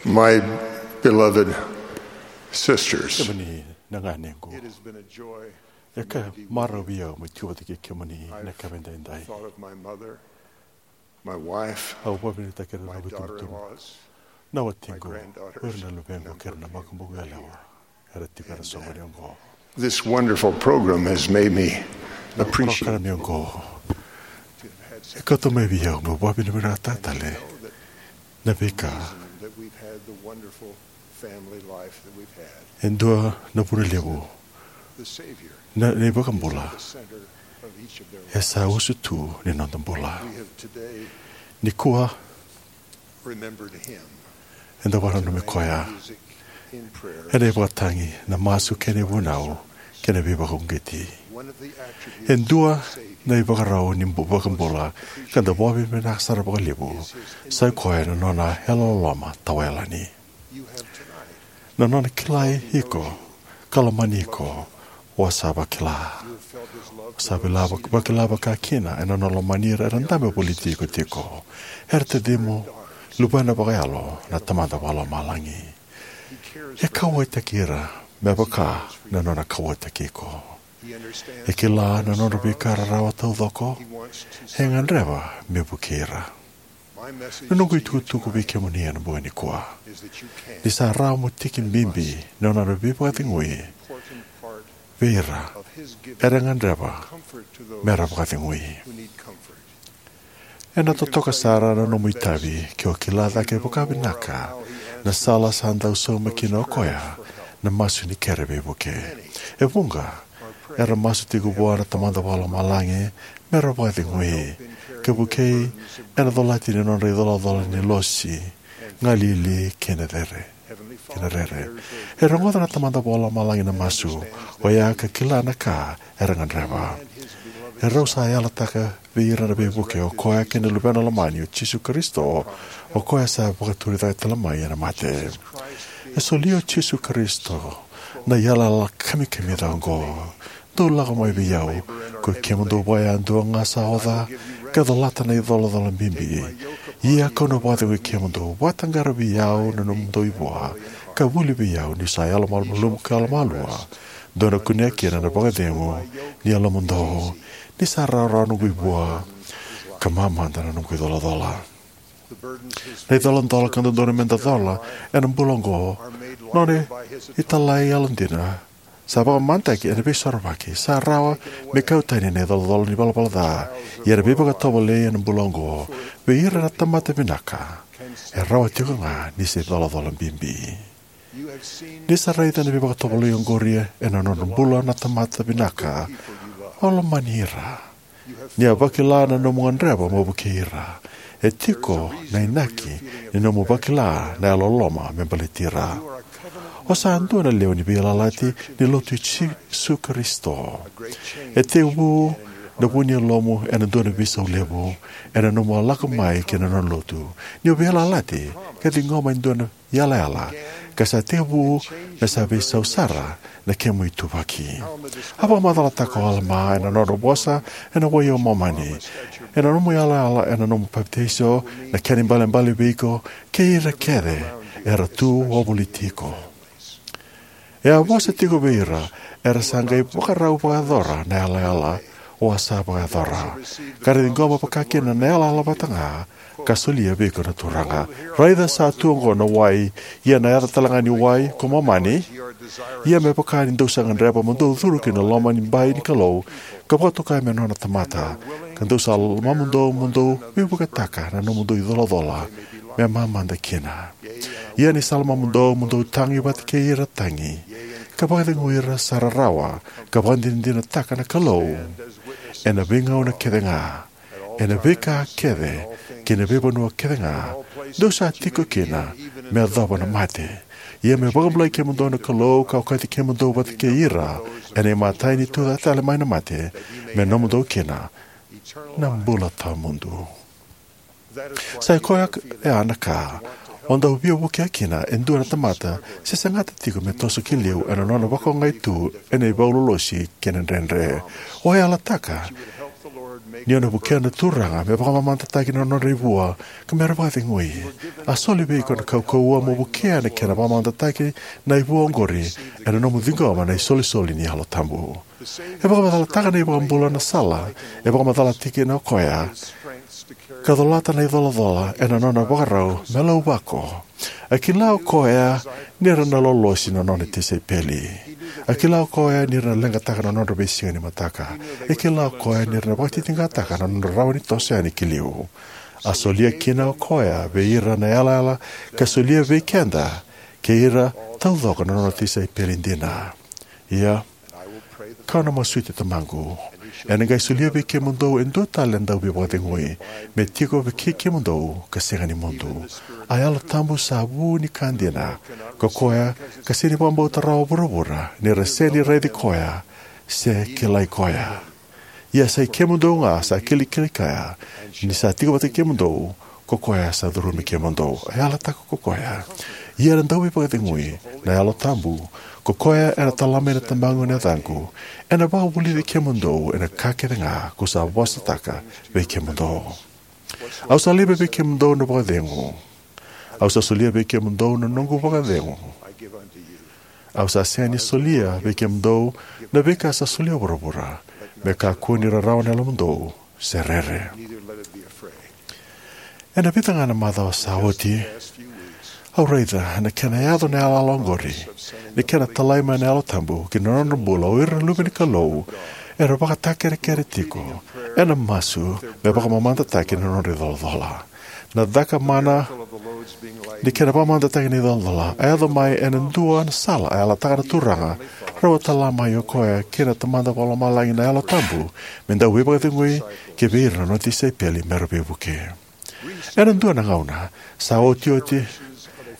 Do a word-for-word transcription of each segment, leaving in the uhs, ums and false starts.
My beloved sisters, kemuni na ganequ, it has been a joy e ka maravi au me tu vata kei kemuni na ka edaidai. Thought of my mother, my wife, au vakavinavinakataka ira na noqu itubutubu, na watiqu, o ira na luvequ kei ira na makubuqu yalewa era tiko ena soqoni oqo. This wonderful program has made me appreciate, na program oqo e kauta mai vei au meu vakavinavinakataka tale na veika that we've had, the wonderful family life that we've had. E dua na vuna levu na iVakabula e sa usu tu ni noda bula. Nikua eda vakananumi koya ena ivakatagi, na masu kei na ivunau kei na veivakauqeti. E dua na ivakarau ni iVakabula ka da vakavinavinaka sara vakalevu sa i koya na nona yalololoma tawayalani. Na nona kilai iko ka lomani iko, o sa vakila. O sa vakila vakakina ena nona lomani ira era dabe voliti iko tiko. Era tacimu, luvena vakayalo na Tamada Vakalomalagi. E kauwaitaki ira me vaka na nona kauwaitaki iko. E kila na nodra veika rarawa taucoko. E gadreva me vukei ira. Na noqu itukutuku vei kemuni ena bogi nikua ni sa rawa mo tiki bibi na nona veivakacegui vei ira era gadreva mera vakacegui. Ena totoka sara na nomu itavi ke o kila cake vakavinaka na sala sa dau sauma kina o koya na masu ni kere veivuke. E vuqa era masu tiko vua na Tamada Vakalomalagi mera vakacegui ka vukei ena colati ni nodra icolacola ni losi, galili kei na cere, kei na rere. E rogoca na Tamada Vakalomalagi na masu oya ka kila na ka era gadreva. E rau sa yalataka vei ira na veivuke o koya kei na Luvena lomani o Jisu Karisito, o koya sa vakaturi cake tale mai ena mate. E solia o Jisu Karisito na yalayala kamikamica oqo: Dou lako mai vei au, koi kemudou vakayadua ga sa oca ka colata na icolacola bibi, ia kau na vakacegui kemudou. Vakataqara vei au na nomudou ivua ka vuli vei au, niu sa yalomalumalumu ka yalomalua. Dou na kunea kina na vakacegu ni yalomudou, ni sa rawarawa noqu ivua ka mamada na noqu icolacola. Na icolacola ka dodonu meda cola ena bula oqo, nona italai yalodina, sa vakamadataki ena Veisorovaki. Sa rawa me kau tani na icolacola ni valavala ca, ia na veivakatovolei ena bula oqo vei ira na tamata vinaka e rawa tiko ga ni se icolacola bibi. Ni sa raica na veivakatovolei oqori ena nodra bula na tamata vinaka o lomani ira. Ni a vakila na nomu gadreva mo vukei ira. E tiko na inaki ni nomu vakila na yalololoma me baleti ira. O sa dua na lewe ni veiyalayalati ni Lotu i Jisu Karisito. E tekivu na vu ni yalomu ena dua na veisau levu ena nomu a lako mai ki na nona lotu. Ni o veiyalayalati ka ciqoma e dua na yalayala, ka sa tekivu me sa veisau sara na kemu ituvaki. A vakamacalataka o Alama ena nona vosa ena wai o Momani: Ena nomu yalayala ena nomu papitaiso, na kena ibalebale vei iko kei ira kece era tu wavoliti iko. E a vosa tiko vei ira era sa qai vakarau vakayacora na yalayala o a sa vakayacora, ka ra ciqoma vakakina na yalayala vata ga ka solia vei iko na Turaga. Raica, sa tu oqo na wai, ia na yaca tale ga ni wai ko Momani. Ia me vaka ni dou sa gadreva mo dou curu ki na loma ni bai ni Kalou, ka vakatokai me nona tamata, ka dou sa lomamudou mo dou veivuketaka na nomudou icolacola me mamada kina. Ia ni sa lomamudou mo dou tagi vata kei ira tagi, ka vakacegui ira sa rarawa, ka vakadinadinataka na Kalou ena veigauna kece ga, ena veika kece kei na veivanua kece ga dou sa tiko kina, me yacova na mate. Ia me vakabulai kemudou na Kalou, ka okati kemudou vata kei ira ena imatai ni tucake tale mai na mate, me nomudou kina na bula tawamudu. Sa i koya ya na ka o dau via vukea kina e dua na tamata se sagata tiko me toso ki liu ena nona vakaogai tu ena ivau lolosi kei na dredre. O yalataka Ni o na vukea na Turaga me vakamamadataki na nodra ivua ka me ra vakacegui. A soli vei iko na kaukauwa mo vukea na kena vakamamadataki na ivua oqori ena nomu ciqoma na isolisoli ni Yalo Tabu. E vakamacalataka na iVakabula na sala e vakamacalataki kina o koya ka colata na icolacola ena nona vakarau me lauvako. A kila o koya ni ra na lolosi na nona tisaipeli. A kila o koya ni ra na leqataka na nodra veisiga ni mataka. E kila o koya ni ra na vakatitiqataka na nodra rawa ni toso yani ki liu. A solia kina o koya vei ira na yalayala ka solia vei keda kei ira taucoko na nona tisaipeli dina. Ia, kau na masuti Tamaqu, ena qai solia vei kemudou e dua tale na dauveivakacegui, me tiko vei kei kemudou ka sega ni mudu. A Yalo Tabu sa vu ni ka dina, ko koya ka sega ni vakabauta rawa o vuravura ni ra sega ni raici koya se kilai koya. Ia sa i kemudou ga sa kilikili kaya, ni sa tiko vata kei kemudou ko koya sa curumi kemudou. E yalataka ko koya. Ia na dauveivakacegui, na Yalo Tabu, ko koya ena tala mai na Tamaqu ena yacaqu, ena vakavulici kemudou ena ka kece ga kau sa vosataka vei kemudou. Au sa laiva vei kemudou na vakacegu. Au sa solia vei kemudou na noqu vakacegu. Au sa sega ni solia vei kemudou na veika sa solia o vuravura. Me kakua ni rarawa na yalomudou, se rere. Ena vica ga na macawa sa oti, au raica na kena yaco na yalayala oqori, ni kena talai mai na Yalo Tabu ki na nodra bula o ira na luve ni Kalou era vakatakerekere tiko ena masu me vakamamadataki na nodra icolacola. Na caka mana ni kena vakamamadataki na icolacola a yaco mai ena dua na sala a yalataka na Turaga, rau a tala mai o koya kei na Tamada Vakalomalagi na Yalo Tabu me dauveivakacegui ki vei ira na nona tisaipeli me ra veivuke. Ena dua na gauna sa otioti,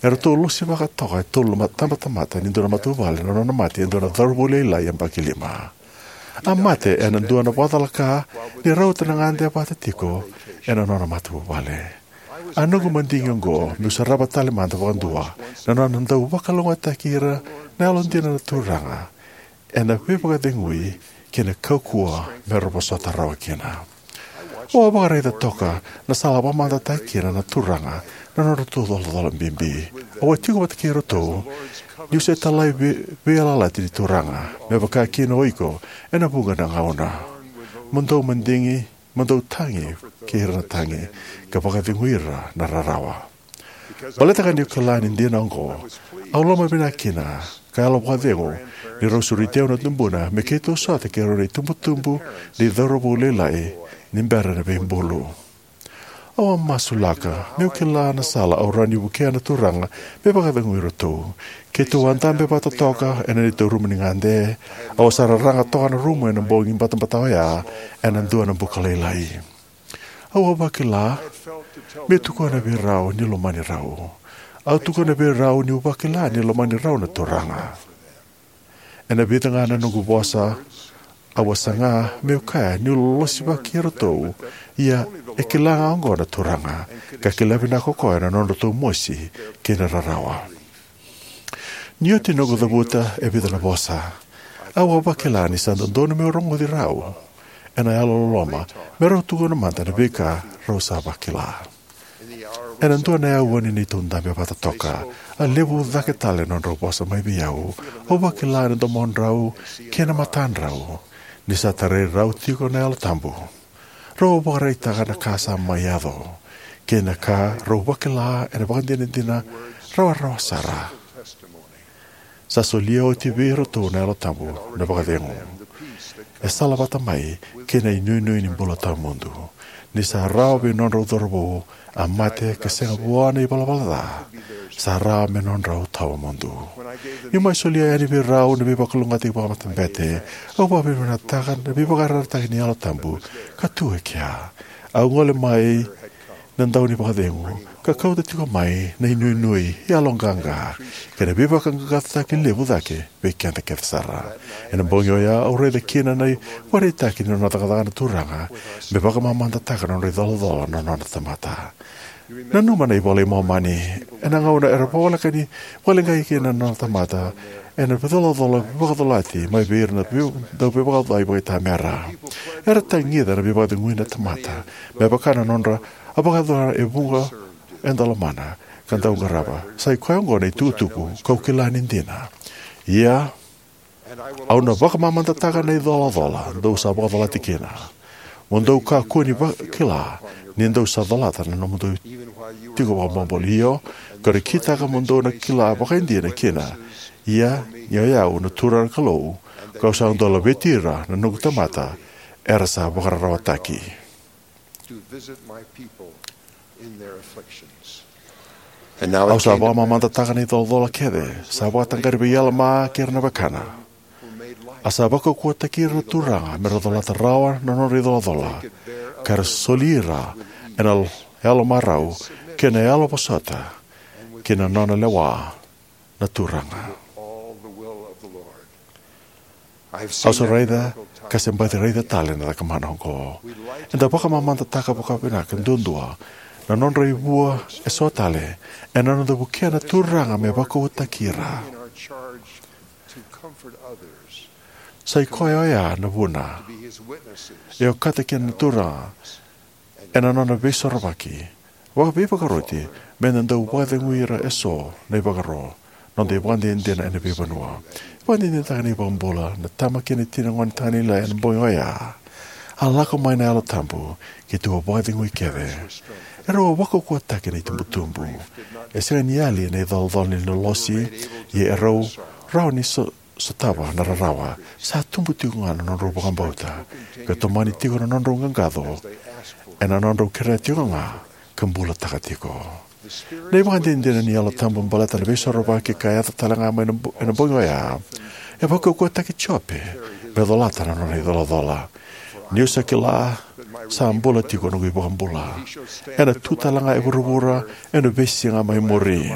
eratou losivaka toka e tolu na tabatamata ni dua na matavuvale na nona mate e dua na cauravou lailai yabaki lima. A mate ena dua na vakacalaka ni rauta na gade vata tiko ena nona matavuvale. A noqu madigi oqo meu sarava tale mada vakadua na nona dau vakalougatataki ira na yalodina na Turaga ena veivakacegui kei na kaukauwa me ra vosota rawa kina. Au a vakaraica toka na sala a vakamamadataka kina na Turaga na nodratou icolacola bibi. Au a tiko vata kei iratou niu se talai vei, veiyalayalati ni Turaga, me vaka kina o iko ena vuqa na gauna. Mo dau madigi, mo dau tagi kei ira na tagi, ka vakacegui ira na rarawa. Baleta ga niu kila ni dina oqo, au lomavinaka kina ka yalo vakacegu ni rau sureti au na tubuna me keitou sota kei rau na itubutubu ni cauravou lailai ni bera na veibulu. Au a masulaka meu kila na sala au rawa ni vukea na Turaga me vakacegui iratou. Keitou a dabe vata toka ena neitou rumu ni gade. Au a sa raraga toka na rumu ena bogi batabata oya ena dua na buka lailai. Au a vakila meu tukuna vei rau niu lomani rau. Au tukuna vei rau niu vakila ni lomani rau na Turaga. Ena vica ga na noqu vosa, au a saga meu kaya niu lolosivaki iratou, ia e kila ga oqo na Turaga, ka kila vinaka o koya na nodratou mosi kei na rarawa. Ni oti noqu cavuta e vica na vosa, au a vakila ni sa dodonu meu rogoci rau ena yalololoma me rau tukuna mada na veika rau sa vakila. Ena dua na aua ni neitou dabe vata toka, a levu cake tale na nodrau vosa mai vei au. Au vakila ena domodrau kei na matadrau ni sa tarai rau tiko na Yalo Tabu. Rau a vakaraitaka na ka sa mai yaco kei na ka rau vakila ena vakadinadina rawarawa sara. Sa solia oti vei iratou na Yalo Tabu na vakacegu. E salavata mai kei na inuinui ni bula tawamudu. Ni sa rawa vei nodrau cauravou a mate ka sega vua na ivalavala ca, sa rawa me nodrau tawamudu. Niu mai solia yani vei rau na veivakalougatataki vakamatabete, au vakavinavinakataka na veivakayarayarataki ni Yalo Tabu ka tu e kea. Au gole mai na dau ni vakacegu ka kauta tiko mai na inuinui, yaloqaqa, kei na veivakaqaqacotaki levu cake vei keda kece sara. Ena bogi oya au raica kina na ivakaraitaki ni nona cakacaka na Turaga me vakamamadataka na nodra icolacola na nona tamata. Nanuma na iVola i Momani, ena gauna era voleka ni vakaleqai kina na nona tamata ena veicolacola vakacolati mai vei ira na vei- dau veivakacacani vakaitamera. Era tagica na veivakacegui na tamata me vaka na nodra a vakayacora e vuqa eda lomana ka dau qarava. Sai koya oqo na itukutuku kau kila ni dina. Ia, au na vakamamadataka na icolacola dou sa vakacolati kina. Mo dou kakua ni vakila ni dou sa colata na nomudou tiko vakaboboli. Io, kau na kitaka mo dou na kila vakaidina kina. Ia, ni o yau na Turaga na Kalou, kau sa dau laveti ira na noqu tamata era sa vakararawataki. Au sa vakamamadataka na icolacola kece sa vakataqari vei Alama kei ira na wekana. A sa vakaukauwataki ira na Turaga me ra colata rawa na nodra icolacola, ka ra soli ira ena yalomarau kei na yalovosota ki na nona lewa na Turaga. Au sa raica ka se baci raica tale na cakamana oqo. Eda vakamamadataka vakavinaka duadua na nodra ivua eso tale ena noda vukea na Turaga me vakaukauwataki ira. Sai koya oya na vuna e okata kina na Turaga ena nona veisorovaki vakaveivakauqeti me da dau vakacegui ira eso na ivakaro. Noda ivakadinadina ena veivanua. Vakadinadinataka na iVakabula na tama kei na tina gone tagane lailai ena bogi oya. A lako mai na Yalo Tabu, keitou a vakacegui kece. Erau a vakaukauwataki na itubutubu. E sega ni yali na icolacola ni lolosi, ia erau rawa ni so sotava na rarawa. Sa tubu tiko ga na nodrau vakabauta, ka tomani tiko na nodrau qaqaco ena nodrau kerea tiko ga ka bulataka tiko. Na ivakadinadina ni Yalo Tabu baleta na veisorovaki ka yaco tale ga mai na bo- ena bogi oya e vakaukauwataki Jope me colata na nona icolacola. Niu sa kila sa bula tiko noqu iVakabula, ena tu tale ga e vuravura ena veisiga mai muri.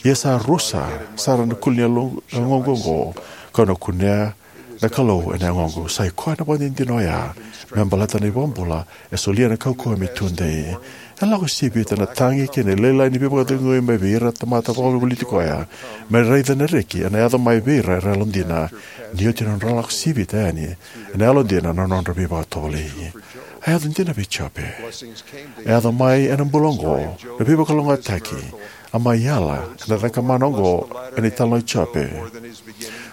Ia sa rusa sara na kuli ni yaloqu oqo, kau na kunea na Kalou ena yagoqu. Sai koya na vakadinadina oya me baleta na iVakabula e solia na kaukauwa me tudei. E lako sivita na tagi kei na lailai ni veivakacegui mai vei ira na tamata vakavolivoliti koya me raica na reki ena yaco mai vei ira era yalodina, ni oti na nodra lako sivita yani ena yalodina na nodra veivakatovolei. A yaco dina vei Jope. A yaco mai ena bula oqo na veivakalougatataki a mai yala ena cakamana oqo ena italanoa i Jope.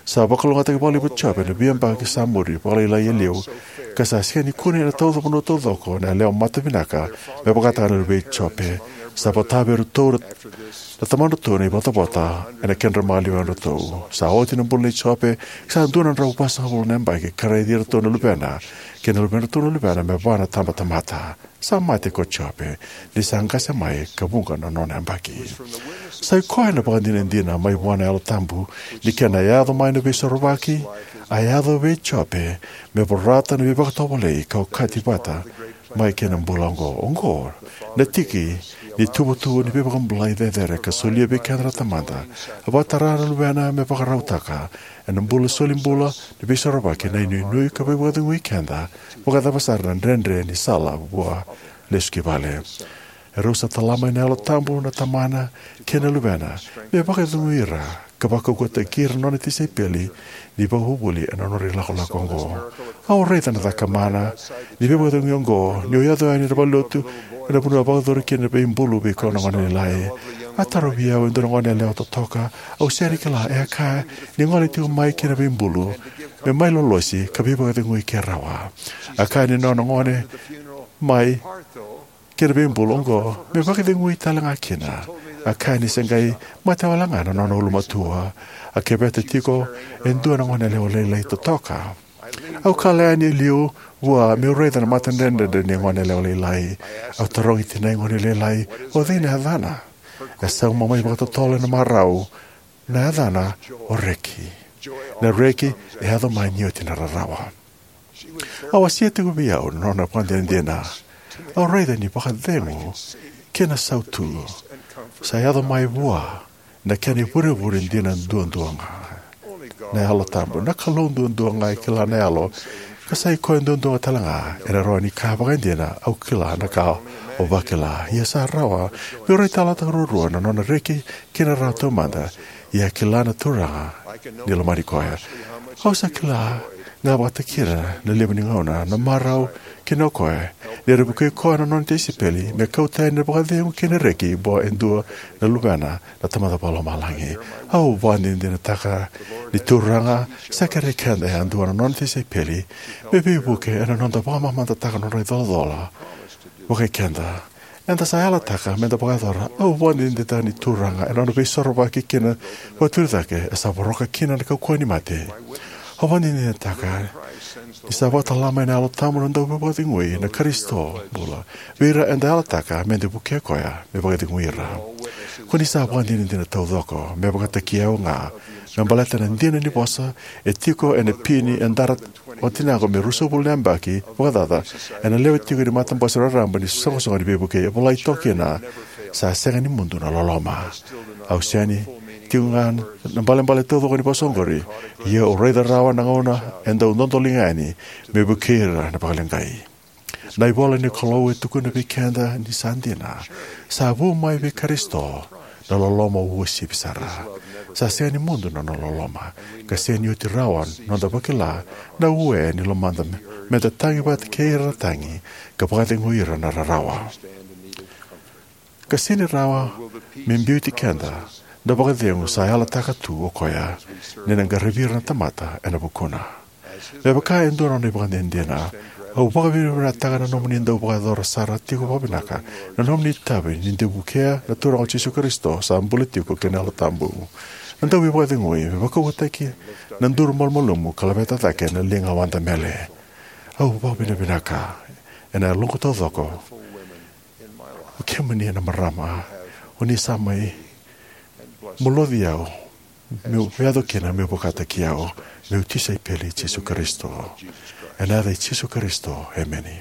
Sa vakalougatataki vakalevu o Jope ena veiyabaki sa muri vakalailai e liu, ka sa sega ni kune ena tauca vanua taucoko na yalewa matavinaka me vakataka na luvei Jope. Sa vota vei iratou na tamadratou na ivotavota ena kedra maliwa yadratou. Sa oti na bula nei Jope, sa dua na drau vasagavulu na yabaki, ka raici iratou na luvena kei na luvedratou na luvena me va na tabatamata. Sa mate ko Jope ni sa qase mai ka vuqa na nona yabaki. Sai koya na vakadinadina mai vua na Yalo Tabu ni kena yaco mai na veisorovaki, a yaco vei Jope me vorata na veivakatovolei ka okati vata mai kei na bula oqo. Oqo na tiki ni tuvatuva ni veivakabulai cecere ka solia vei keda na Tamada. A vakatara na Luvena me vakarautaka ena bula, soli bula ni veisorovaki, na inuinui ka veivakacegui keda vakacava sara na dredre ni sala vua lesu ki vale. Erau sa tala mai na Yalo Tabu na Tamana kei na Luvena me vakacegui ira ka vakaukauwataki ira na nona tisaipeli ni vakavuvuli ena nodra ilakolako oqo. Au raica na cakamana ni veivakacegui oqo niu yaco yani ena valenilotu ena vanua a vakayacori kina na veibulu vei koya na gone lailai. A tarovi au e dua na goneyalewa totoka au sega ni kila, e a kaya ni gole tiko mai ki na veibulu me mai lolosi ka veivakacegui ke rawa. A kaya ni nona gole mai ki na veibulu oqo me vakacegui tale ga kina. A kaya ni se qai mate wale ga na nona ulumatua. A keveta tiko e dua na goneyalewa lailai totoka. Au kala yani e liu vua meu raica na matadredredre ni goneyalewa lailai. Au tarogi tinai gone lailai, o cei na yacana? E sauma mai vakatotolo ena marau, na yacana o Reki. Na reki e yaco mai ni oti na rarawa. A wasea tiko vei au na nona vakadinadina. Au raica ni vakacegu kei na sautu sa yaco mai vua na kena ivurevure dina duadua ga, na Yalo Tabu. Na Kalou duadua ga e kila na yalo, ka sai koya duadua ga tale ga ena rawa ni kaya vakaidina, au kila na ka Au vakila, ia sa rawa meu raitayaloyalotaka ruarua na nona reki kei na rarawa taumada, ia e kila na Turaga ni lomani koya. Au sa kila ga vakatikina na levu ni gauna na marau kina o koya ni ra vukei koya na nona tisaipeli me kauta yani na vakacegu kei na reki vua e dua na luvena na Tamada Vakalomalagi. Au vakadinadinataka ni Turaga sa kerei keda yadua na nona tisaipeli me veivuke ena noda vakamamadataka na nodra icolacola vakai keda. Eda sa yalataka meda vakayacora. Au vakadinadinataka ni Turaga ena nona veisorovaki kei na vakaturi cake e sa voroka kina na kaukauwa ni mate. Au vakadinadinataka ni sa vakatala mai na Yalo Tabu na Dauveivakacegui na Karisito bula vei ira eda yalataka meda vukea koya me vakacegui ira. Ko ni sa vakadinadina taucoko me vakataki au ga me baleta na dina ni vosa e tiko ena pini e dara o tinaqu me ruasagavulu na yabaki vakacaca ena lewe tiko ni matabose raraba ni iSoqosoqo ni Veivukei, e volai toka kina: Sa sega ni mudu na loloma. Au sega ni tiko ga na ibalebale taucoko ni vosa oqori, ia au raica rawa na gauna e dau dodoliga yani me vukei ira na vakaleqai. Na ivolanikalou e tukuna vei keda ni sa dina: Sa vu mai vei Karisito na loloma uasivi sara. Sa sega ni mudu na nona loloma, ka sega ni oti rawa na noda vakila na ue ni lomada meda tagi vata kei ira na tagi ka vakacegui ira na rarawa. Ka sega ni rawa me biuti keda na vakacegu sa yalataka tu o koya ni na qaravi ira na tamata ena vukuna. Me vaka e dua na nona ivakadinadina, au vakavinavinakataka na nomuni dau vakayacora sara tiko vakavinaka na nomuni itavi ni dau vukea na Turaga o Jisu Karisito sa bula tiko kei na Yalo Tabu. Na Dauveivakacegui me vakaukauwataki na duru malumalumu ka laveta cake na liga wadamele. Au vakavinavinaka ena yaloqu taucoko o kemuni na marama o ni sa mai muloci au meu yaco kina meu vakataki au meu tisaipeli i Jisu Karisito. Ena yaca i Jisu Karisito, emeni.